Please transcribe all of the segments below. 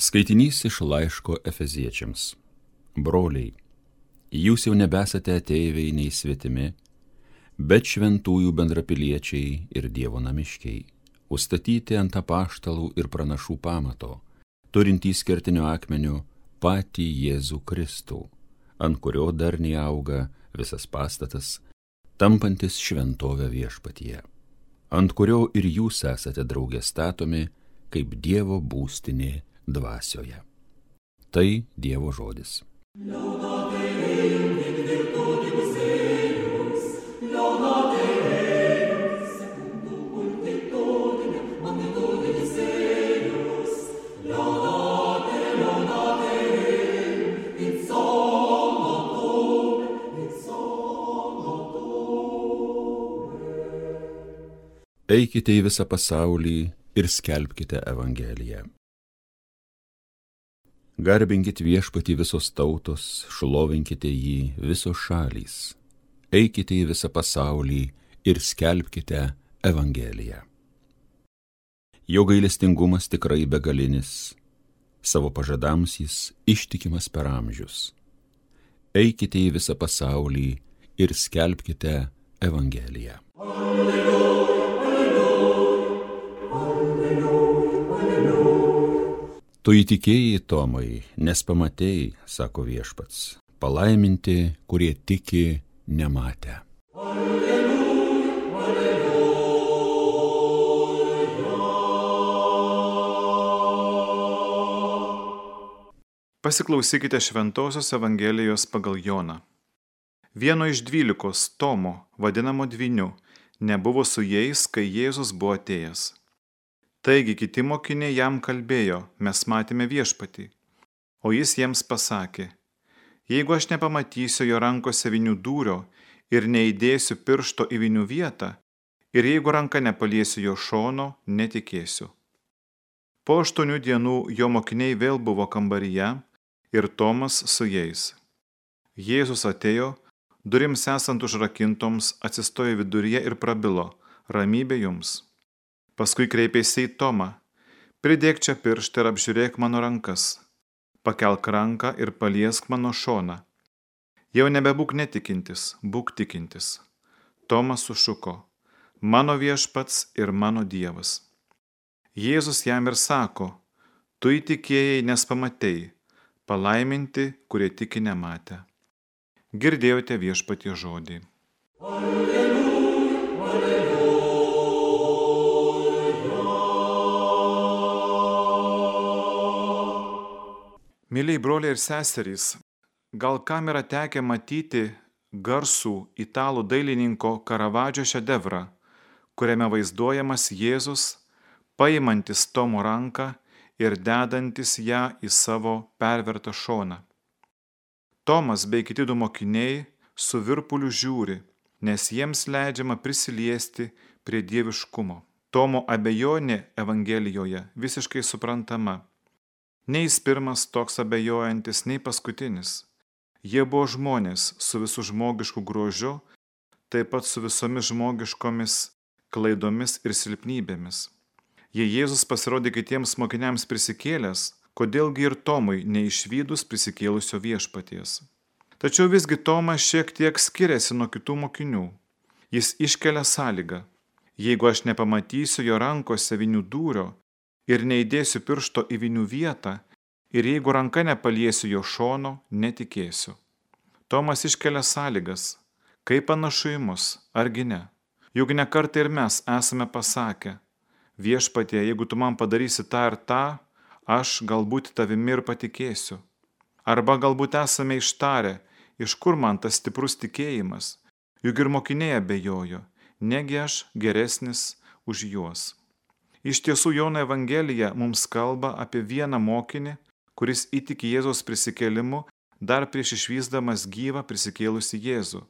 Skaitinys iš laiško Efeziečiams. Broliai, jūs jau nebesate ateiviai nei svetimi, bet šventųjų bendrapiliečiai ir Dievo namiškiai, užstatyti ant apaštalų ir pranašų pamato, turintys kertinio akmenio patį Jėzų Kristų, ant kurio darniai auga visas pastatas, tampantis šventovę Viešpatyje, ant kurio ir jūs esate drauge statomi kaip Dievo būstinė dvasioje. Tai Dievo žodis. Eikite į visą pasaulį ir skelbkite Evangeliją. Garbinkit Viešpatį visos tautos, šlovinkite jį visos šalys. Eikite į visą pasaulį ir skelbkite Evangeliją. Jo gailestingumas tikrai begalinis, savo pažadams jis ištikimas per amžius. Eikite į visą pasaulį ir skelbkite Evangeliją. Tu įtikėjai, Tomai, nes pamatėjai, sako Viešpats, palaiminti, kurie tiki nematę. Alleluja, alleluja. Pasiklausykite Šventosios Evangelijos pagal Joną. Vieno iš 12 Tomo, vadinamo Dvyniu, nebuvo su jais, kai Jėzus buvo atėjęs. Taigi kiti mokiniai jam kalbėjo, mes matėme Viešpatį, o jis jiems pasakė, jeigu aš nepamatysiu jo rankose vinių dūrio ir neįdėsiu piršto į vinių vietą, ir jeigu ranka nepaliesiu jo šono, netikėsiu. Po 8 dienų jo mokiniai vėl buvo kambaryje ir Tomas su jais. Jėzus atėjo, durims esant užrakintoms, atsistojo viduryje ir prabilo, ramybė jums. Paskui kreipėsi į Tomą, pridėk čia pirštą ir apžiūrėk mano rankas, pakelk ranką ir paliesk mano šoną. Jau nebebūk netikintis, būk tikintis. Tomas sušuko, mano Viešpats ir mano Dievas. Jėzus jam ir sako, tu įtikėjai, nes pamatei, palaiminti, kurie tiki nematę. Girdėjote Viešpaties žodį. Alleluja, alleluja. Mėlyjei broliai ir seserys, gal kam yra tekę matyti garsų italų dailininko Karavadžio šedevrą, kuriame vaizduojamas Jėzus, paimantis Tomo ranką ir dedantis ją į savo pervertą šoną. Tomas bei kiti 2 mokiniai su virpuliu žiūri, nes jiems leidžiama prisiliesti prie dieviškumo. Tomo abejonė Evangelijoje visiškai suprantama. Nei jis pirmas toks abejojantis, nei paskutinis. Jie buvo žmonės su visų žmogišku grožiu, taip pat su visomis žmogiškomis klaidomis ir silpnybėmis. Jei Jėzus pasirodė kitiems mokiniams prisikėlęs, kodėlgi ir Tomui neišvydus prisikėlusio Viešpaties. Tačiau visgi Tomas šiek tiek skiriasi nuo kitų mokinių. Jis iškelia sąlygą. Jeigu aš nepamatysiu jo rankose vinių dūrio ir neįdėsiu piršto į vinių vietą, ir jeigu ranka nepaliesiu jo šono, netikėsiu. Tomas iškelia sąlygas, kaip panašu į mus, argi ne? Juk ne kartą ir mes esame pasakę, Viešpatie, jeigu tu man padarysi tą ir tą, aš galbūt tavimi ir patikėsiu. Arba galbūt esame ištarę, iš kur man tas stiprus tikėjimas, juk ir mokiniai abejojo, negi aš geresnis už juos. Iš tiesų Jono Evangelija mums kalba apie vieną mokinį, kuris įtiki Jėzaus prisikėlimu dar prieš išvysdamas gyvą prisikėlusį Jėzų.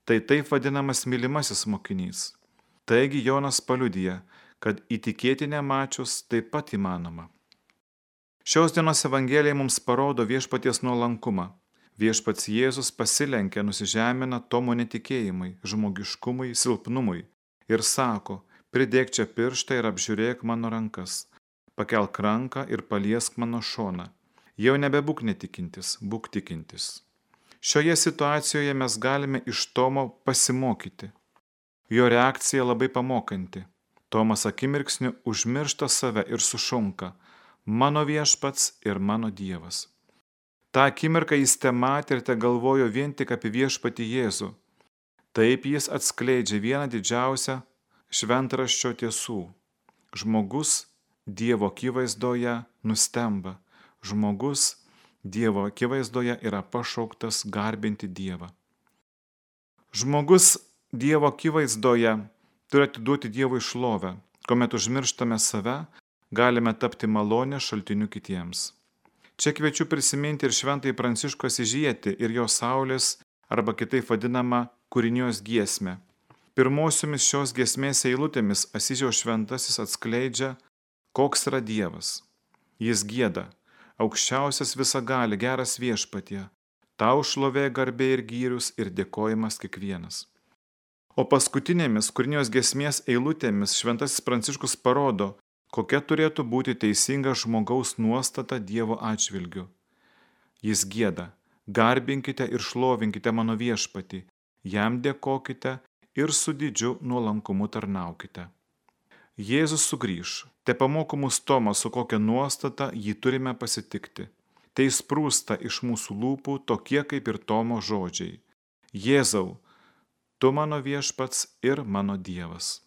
Tai taip vadinamas mylimasis mokinys. Taigi Jonas paliudija, kad įtikėti nemačius taip pat įmanoma. Šios dienos Evangelija mums parodo Viešpaties nuolankumą. Viešpats Jėzus pasilenkia, nusižemina Tomo netikėjimui, žmogiškumui, silpnumui ir sako, pridėk čia pirštą ir apžiūrėk mano rankas, pakelk ranką ir paliesk mano šoną. Jau nebebūk netikintis, būk tikintis. Šioje situacijoje mes galime iš Tomo pasimokyti. Jo reakcija labai pamokanti. Tomas akimirksniu užmiršta save ir sušunka: mano viešpats ir mano Dievas. Ta akimirką jis tematė ir tegalvojo vien tik apie viešpatį Jėzų. Taip jis atskleidžia vieną didžiausią šventraščio tiesų. Žmogus Dievo akivaizdoje nustemba. Žmogus Dievo akivaizdoje yra pašauktas garbinti Dievą. Žmogus Dievo akivaizdoje turi atiduoti Dievui šlovę. Kuomet užmirštame save, galime tapti malonės šaltiniu kitiems. Čia kviečiu prisiminti ir šventąjį Pranciškų Asyžietį ir jo saulės, arba kitaip vadinamą kūrinijos giesmę. Pirmosiomis šios giesmės eilutėmis Asyžiaus šventasis atskleidžia, koks yra Dievas. Jis gieda: aukščiausias visagali, geras viešpatie, tau šlovė, garbė ir gyrius ir dėkojimas kiekvienas. O paskutinėmis kūrinijos giesmės eilutėmis šventasis Pranciškus parodo, kokia turėtų būti teisinga žmogaus nuostata Dievo atžvilgiu. Jis gieda: garbinkite ir šlovinkite mano viešpatį, jam dėkokite ir su didžiu nuolankumu tarnaukite. Jėzus sugrįš, te pamoko mus Tomas, su kokia nuostata jį turime pasitikti. Tai sprūsta iš mūsų lūpų tokie kaip ir Tomo žodžiai: Jėzau, tu mano viešpats ir mano Dievas.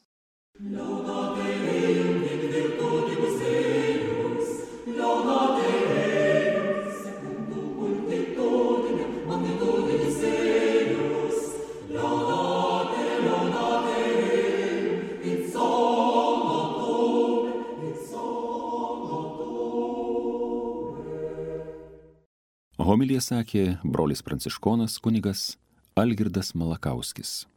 Homiliją sakė brolis pranciškonas kunigas Algirdas Malakauskis.